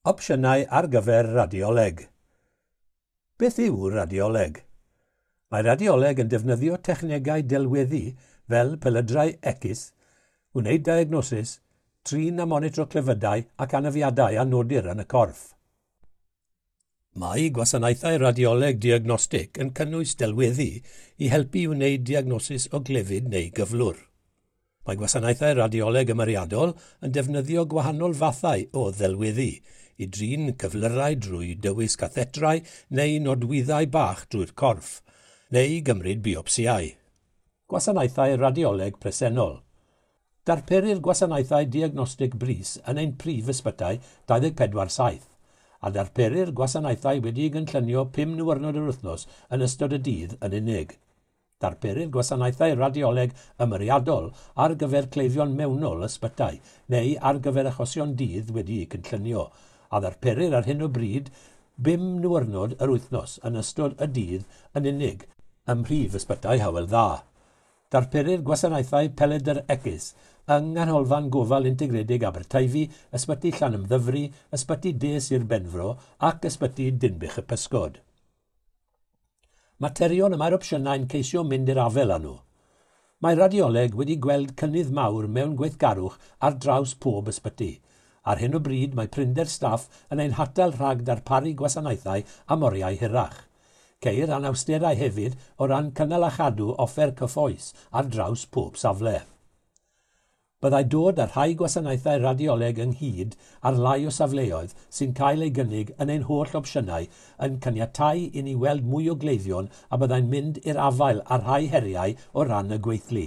Opsiynau ar gyfer radioleg. Beth yw radioleg? Mae radioleg yn defnyddio technegau delweddu fel pelydrau X, wneud diagnosis, trin a monitro clefydau ac anafiadau a nodir yn y corff. Mae gwasanaethau radioleg diagnostig yn cynnwys delweddu i helpu i wneud diagnosis o glefyd neu gyflwr. Mae gwasanaethau radioleg ymyriadol yn defnyddio gwahanol fathau o ddelweddu i drin cyflyrau drwy dywys cathetrau neu nodwyddau bach drwy'r corff, neu gymryd biopsiau. Gwasanaethau radioleg presennol. Darperir gwasanaethau diagnostig brys yn ein prif ysbytai 24/7, a darperir gwasanaethau wedi'u gynllunio 5 niwrnod yr wythnos yn ystod y dydd yn unig. Darperir gwasanaethau radioleg ymyriadol ar gyfer cleifion mewnol ysbytai neu ar gyfer achosion dydd wedi'u cynllunio, a ddarperir ar hyn o bryd 5 niwrnod yr wythnos yn ystod y dydd yn unig ym mhrif ysbytai Hywel Dda. Darperir gwasanaethau pelydr X yng Nghanolfan Gofal Integredig Aberteifi, Ysbyty Llanymddyfri, Ysbyty De Sir Benfro ac Ysbyty Dinbych y Pysgod. Materion y mae'r opsiynau'n ceisio mynd i'r afael â nhw. Mae radioleg wedi gweld cynnydd mawr mewn gweithgarwch ar draws pob ysbyty. Ar hyn o bryd mae prinder staff yn ein hatal rhag darparu gwasanaethau am oriau hirach. Ceir anawsterau hefyd o ran cynnal a chadw offer cyfoes ar draws pob safle. Byddai dod â rhai gwasanaethau radioleg ynghyd ar lai o safleoedd sy'n cael ei gynnig yn ein holl opsiynau yn caniatáu i ni weld mwy o gleifion a byddai'n mynd i'r afael â rhai heriau o ran y gweithlu,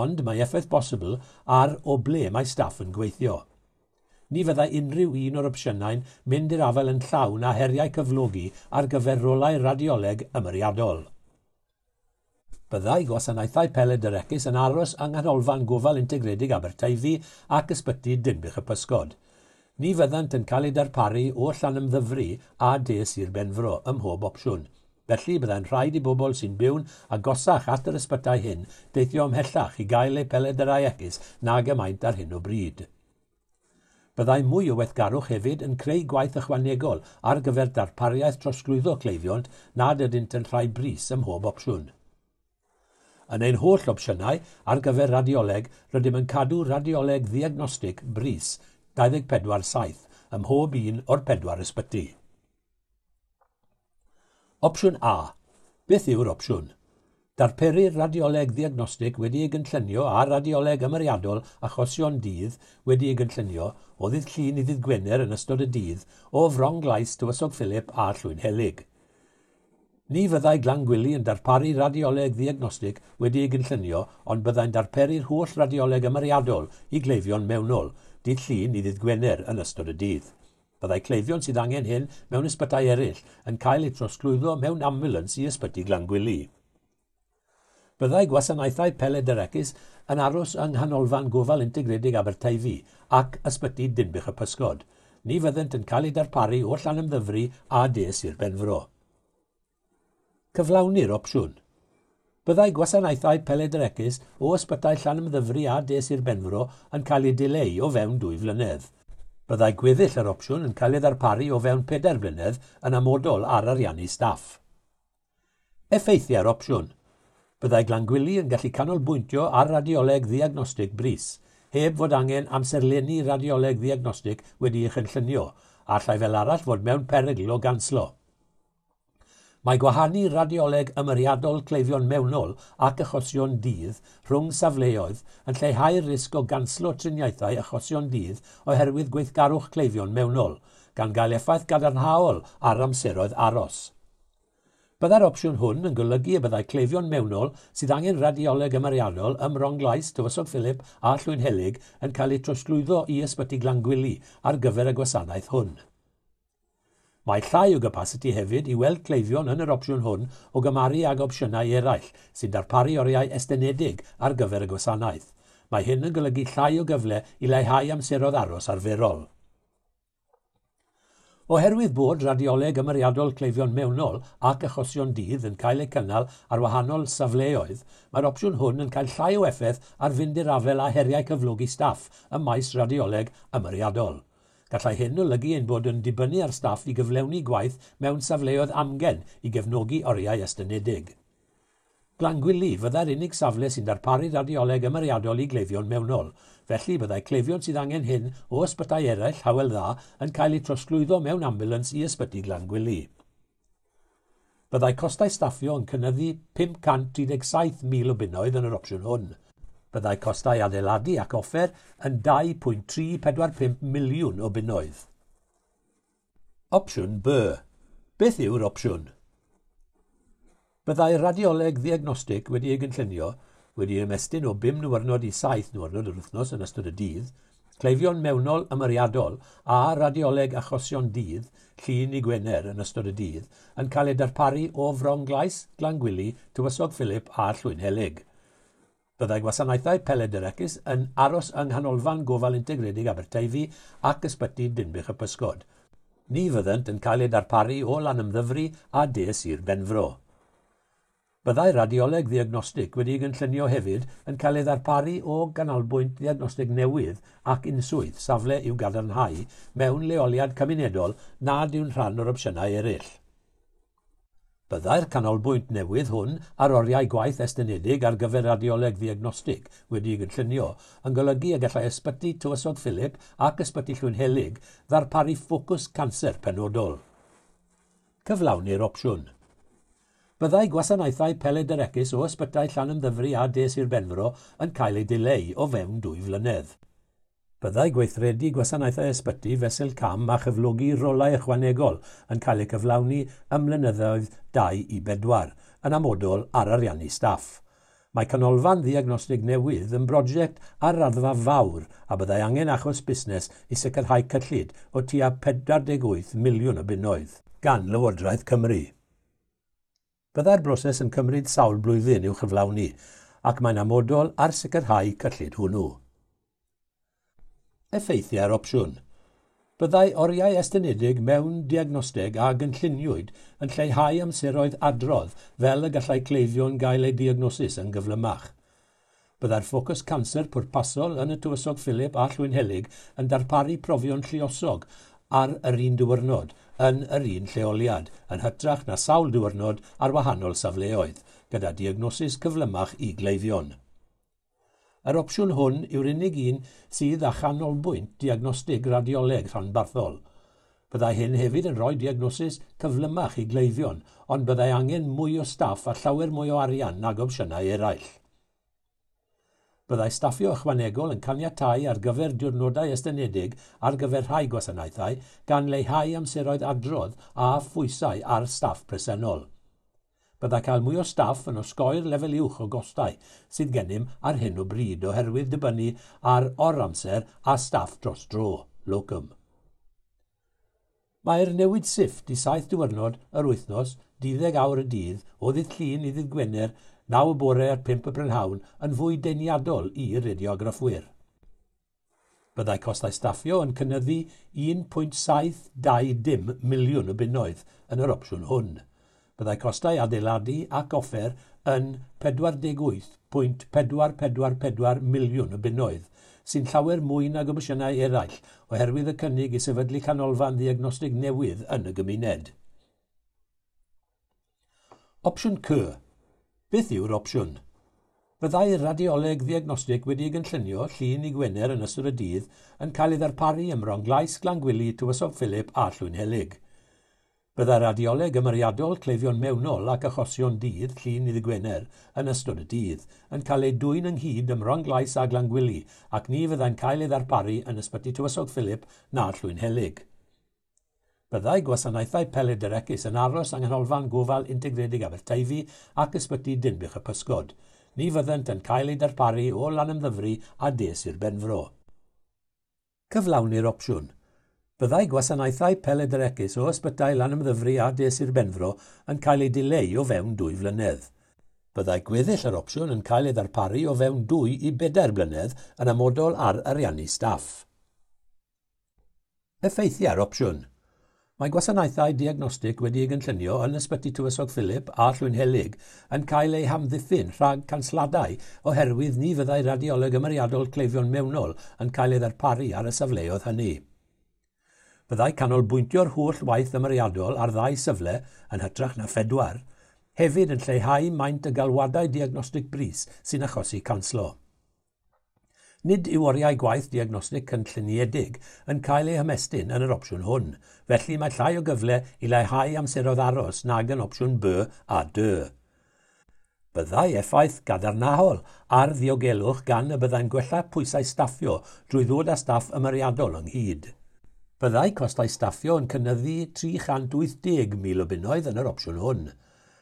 ond mae effaith bosibl ar o ble mae staff yn gweithio. Ni fyddai unrhyw un o'r opsiynau'n mynd i'r afael yn llawn â heriau cyflogi ar gyfer rolau radioleg ymyriadol. Byddai gwasanaethau pelydr X yn aros yng Nghanolfan Gofal Integredig Aberteifi ac Ysbyty Dinbych y Pysgod. Ni fyddant yn cael eu darparu o Llanymddyfri a De Sir Benfro ym mhob opsiwn. Felly byddai'n rhaid i bobl sy'n byw'n agosach at yr ysbytai hyn deithio ymhellach i gael eu pelydrau X nag y maent ar hyn o bryd. Byddai mwy o weithgarwch hefyd yn creu gwaith ychwanegol ar gyfer darpariaeth trosglwyddo cleifion nad ydynt yn rhai brys ym mhob opsiwn. Yn ein holl opsiynau ar gyfer radioleg, rydym yn cadw radioleg ddiagnostig brys 24/7 ym mhob un o'r pedwar ysbyty. Opsiwn A. Beth yw'r opsiwn? Darperir radioleg ddiagnostig wedi ei gynllunio a radioleg ymyriadol achosion dydd wedi ei gynllunio o ddydd Llun i ddydd Gwener yn ystod y dydd o Fronglais, Tywysog Philip a Llwynhelyg. Ni fyddai Glangwili yn darparu radioleg ddiagnostig wedi ei gynllunio, ond byddai'n darperu'r holl radioleg ymyriadol i gleifion mewnol, dydd Llun i ddydd Gwener yn ystod y dydd. Byddai cleifion sydd angen hyn mewn ysbytai eraill yn cael eu trosglwyddo mewn ambulans i ysbyty Glangwili. Byddai gwasanaethau pelydr X yn aros yng Nghanolfan Gofal Integredig Aberteifi ac Ysbyty Dinbych y Pysgod. Ni fyddent yn cael eu darparu o Llanymddyfri a De Sir Benfro. Cyflawni'r opsiwn. Byddai gwasanaethau pelydr X o ysbytai Llanymddyfri a De Sir Benfro yn cael eu dileu o fewn 2 flynedd. Byddai gweddill yr opsiwn yn cael ei ddarparu o fewn 4 blynedd yn amodol ar ariannu staff. Effeithiau'r opsiwn. Byddai Glangwili yn gallu canolbwyntio ar radioleg ddiagnostig brys, heb fod angen amserlennu radioleg ddiagnostig wedi'i chynllunio, a allai fel arall fod mewn perygl o ganslo. Mae gwahanu radioleg ymyriadol cleifion mewnol ac achosion dydd rhwng safleoedd yn lleihau'r risg o ganslo triniaethau achosion dydd oherwydd gweithgarwch cleifion mewnol, gan gael effaith gadarnhaol ar amseroedd aros. Byddai'r opsiwn hwn yn golygu y byddai cleifion mewnol sydd angen radioleg ymyriadol ym Mronglais, Tywysog Philip a Llwynhelyg yn cael eu trosglwyddo i Ysbyty Glangwili ar gyfer y gwasanaeth hwn. Mae llai o gapasiti hefyd i weld cleifion yn yr opsiwn hwn o gymharu ag opsiynau eraill sy'n darparu oriau estynedig ar gyfer y gwasanaeth. Mae hyn yn golygu llai o gyfle i leihau amseroedd aros arferol. Oherwydd bod radioleg ymyriadol cleifion mewnol ac achosion dydd yn cael eu cynnal ar wahanol safleoedd, mae'r opsiwn hwn yn cael llai o effaith ar fynd i'r afael â heriau cyflogi staff ym maes radioleg ymyriadol. Gallai hyn olygu ein bod yn dibynnu ar staff i gyflawni gwaith mewn safleoedd amgen i gefnogi oriau estynedig. Glangwili fyddai'r unig safle sy'n darparu radioleg ymyriadol i gleifion mewnol, felly byddai cleifion sydd angen hyn o ysbytai eraill Hywel Dda yn cael eu trosglwyddo mewn ambulans i ysbyty Glangwili. Byddai costau staffio yn cynyddu 537,000 o bunnoedd yn yr opsiwn hwn. Byddai costau adeiladu ac offer yn 2.345 miliwn o bunnoedd. Opsiwn B. Beth yw'r opsiwn? Byddai radioleg ddiagnostig wedi ei gynllunio wedi ymestyn o 5 niwrnod i 7 niwrnod yr wythnos yn ystod y dydd, cleifion mewnol ymyriadol a radioleg achosion dydd, Llun i Gwener yn ystod y dydd, yn cael ei darparu o Fronglais, Glangwili, Tywysog Philip a Llwynhelyg. Byddai gwasanaethau Peledr-X yn aros yng Nghanolfan Gofal Integredig Aberteifi ac Ysbyty Dinbych y Pysgod. Ni fyddent yn cael eu darparu o Lanymddyfri a De Sir Benfro. Byddai radioleg ddiagnostig wedi'i gynllunio hefyd yn cael ei ddarparu o ganolbwynt ddiagnostig newydd ac unswydd safle i'w gadarnhau mewn leoliad cymunedol nad yw'n rhan o'r opsiynau eraill. Byddai'r canolbwynt newydd hwn ar oriau gwaith estynedig ar gyfer radioleg ddiagnostig wedi'i gynllunio yn golygu y gallai Ysbyty Tywysog Philip ac Ysbyty Llwynhelyg ddarparu ffocws canser penodol. Cyflawni'r opsiwn. Byddai gwasanaethau Peledr-X o ysbytai Llanymddyfri a De Sir Benfro yn cael eu dileu o fewn 2 flynedd. Byddai gweithredu gwasanaethau ysbyty fesul cam a chyflogi rolau ychwanegol yn cael eu cyflawni ym mlynyddoedd 2 i 4, yn amodol ar ariannu staff. Mae canolfan ddiagnostig newydd yn brosiect ar raddfa fawr a byddai angen achos busnes i sicrhau cyllid o tua 48 miliwn o bunnoedd gan Lywodraeth Cymru. Byddai'r broses yn cymryd sawl blwyddyn i'w chyflawni ac mae'n amodol ar sicrhau cyllid hwnnw. Effeithiau'r opsiwn. Byddai oriau estynedig mewn diagnosteg a gynlluniwyd yn lleihau amseroedd adrodd fel y gallai cleifion gael eu diagnosis yn gyflymach. Byddai'r ffocws canser pwrpasol yn y Tywysog Philip a Llwynhelyg yn darparu profion lluosog ar yr un diwrnod yn yr un lleoliad, yn hytrach na sawl diwrnod ar wahanol safleoedd, gyda diagnosis cyflymach i gleifion. Yr opsiwn hwn yw'r unig un sydd â chanolbwynt diagnostig radioleg rhanbarthol. Byddai hyn hefyd yn rhoi diagnosis cyflymach i gleifion, ond byddai angen mwy o staff a llawer mwy o arian nag opsiynau eraill. Byddai staffio ychwanegol yn caniatáu ar gyfer diwrnodau estynedig ar gyfer rhai gwasanaethau gan leihau amseroedd adrodd a phwysau ar staff presennol. Byddai cael mwy o staff yn osgoi'r lefel uwch o gostau sydd gennym ar hyn o bryd oherwydd dibynnu ar oramser a staff dros dro, locum. Mae'r newid sifft i 7 diwrnod yr wythnos, 12 awr y dydd, o ddydd Llun i ddydd Gwener, 9 y bore at 5 y prynhawn yn fwy deniadol i radiograffwyr. Byddai costau staffio yn cynyddu 1.720 miliwn o bunnoedd yn yr opsiwn hwn. Byddai costau adeiladu ac offer yn 48.444 miliwn o bunnoedd, sy'n llawer mwy nag opsiynau eraill oherwydd y cynnig i sefydlu canolfan ddiagnostig newydd yn y gymuned. Opsiwn C. Beth yw'r opsiwn? Byddai radioleg ddiagnostig wedi'i gynllunio Llun i Gwener yn ystod y dydd yn cael ei ddarparu ym Mronglais, Glangwili, Tywysog Philip a Llwynhelyg. Byddai radioleg ymyriadol cleifion mewnol ac achosion dydd Llun i Gwener yn ystod y dydd yn cael ei dwyn ynghyd ym Mronglais a Glangwili ac ni fyddai'n cael ei ddarparu yn ysbyty Tywysog Philip na Llwynhelyg. Byddai gwasanaethau Peledr-X yn aros yng Nghanolfan Gofal Integredig Aberteifi ac Ysbyty Dinbych y Pysgod. Ni fyddent yn cael eu darparu o Lanymddyfri a De Sir Benfro. Cyflawni'r opsiwn. Byddai gwasanaethau Peledr-X o ysbytai Lanymddyfri a De Sir Benfro yn cael eu dileu o fewn 2 flynedd. Byddai gweddill yr opsiwn yn cael ei ddarparu o fewn 2 i 4 blynedd yn amodol ar ariannu staff. Effeithiau'r opsiwn. Mae gwasanaethau diagnostig wedi'u gynllunio yn Ysbyty Tywysog Philip a Llwynhelyg yn cael eu hamddiffyn rhag cansladau oherwydd ni fyddai radioleg ymyriadol cleifion mewnol yn cael ei ddarparu ar y safleoedd hynny. Byddai canolbwyntio'r holl waith ymyriadol ar ddau safle yn hytrach na phedwar, hefyd yn lleihau maint y galwadau diagnostig brys sy'n achosi canslo. Nid yw oriau gwaith diagnostig cynlluniedig yn cael eu hymestyn yn yr opsiwn hwn, felly mae llai o gyfle i leihau amseroedd aros nag yn opsiwn B a D. Byddai effaith gadarnhaol ar ddiogelwch gan y byddai'n gwella pwysau staffio drwy ddod â staff ymyriadol ynghyd. Byddai costau staffio yn cynyddu 380,000 o bunnoedd yn yr opsiwn hwn.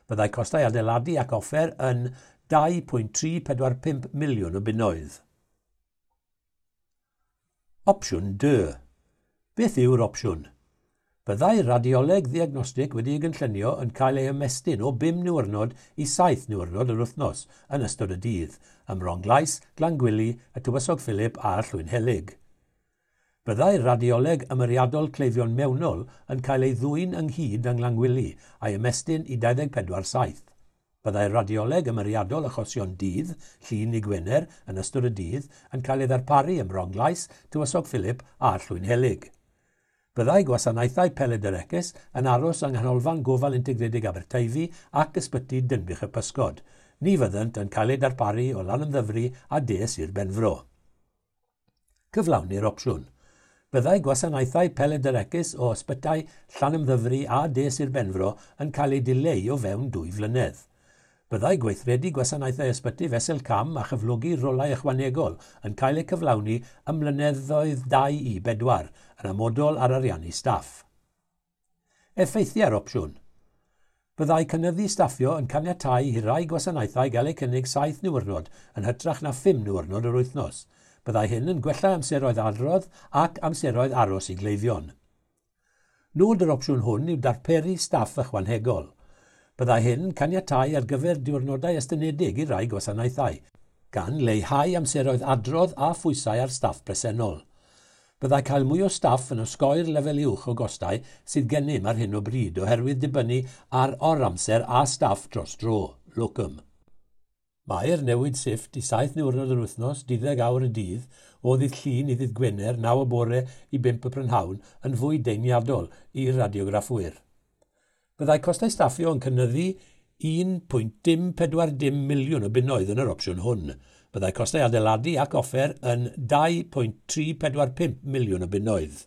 Byddai costau adeiladu ac offer yn 2.345 miliwn o bunnoedd. Opsiwn D. Beth yw'r opsiwn? Byddai radioleg ddiagnostig wedi'i gynllunio yn cael ei ymestyn o 5 niwrnod i 7 niwrnod yr wythnos yn ystod y dydd, ym Mronglais, Glangwili, y Tywysog Philip a Llwynhelyg. Byddai radioleg ymyriadol cleifion mewnol yn cael ei ddwyn ynghyd yng Nglangwili a'i ymestyn i 24/7. Byddai radioleg ymyriadol achosion dydd, Llun i Gwener, yn ystod y dydd, yn cael ei ddarparu ym Mronglais, Tywysog Philip a Llwynhelyg. Byddai gwasanaethau pelydr-X yn aros yng Nghanolfan Gofal Integredig Aberteifi ac Ysbyty Dinbych y Pysgod. Ni fyddent yn cael eu darparu o Lanymddyfri a De Sir Benfro. Cyflawni'r opsiwn. Byddai gwasanaethau pelydr-X o ysbytai Llanymddyfri a De Sir Benfro yn cael eu dileu o fewn 2 flynedd. Byddai gweithredu gwasanaethau ysbyty fesul cam a chyflogi rolau ychwanegol yn cael eu cyflawni ym mlynyddoedd 2 i 4 yn amodol ar ariannu staff. Effeithiau'r opsiwn. Byddai cynyddu staffio yn caniatáu i rai gwasanaethau gael eu cynnig 7 niwrnod yn hytrach na 5 niwrnod yr wythnos. Byddai hyn yn gwella amseroedd adrodd ac amseroedd aros i gleifion. Nod yr opsiwn hwn yw darperu staff ychwanegol. Byddai hyn yn caniatáu ar gyfer diwrnodau estynedig i rai gwasanaethau, gan leihau amseroedd adrodd a phwysau ar staff presennol. Byddai cael mwy o staff yn osgoi'r lefel uwch o gostau sydd gennym ar hyn o bryd oherwydd dibynnu ar oramser a staff dros dro, locum. Mae'r newid sifft i 7 niwrnod yr wythnos, 12 awr y dydd, o ddydd Llun i ddydd Gwener, 9 y bore i 5 y prynhawn, yn fwy deniadol i'r radiograffwyr. Byddai costau staffio yn cynyddu 1.040 miliwn o bunnoedd yn yr opsiwn hwn. Byddai costau adeiladu ac offer yn 2.345 miliwn o bunnoedd.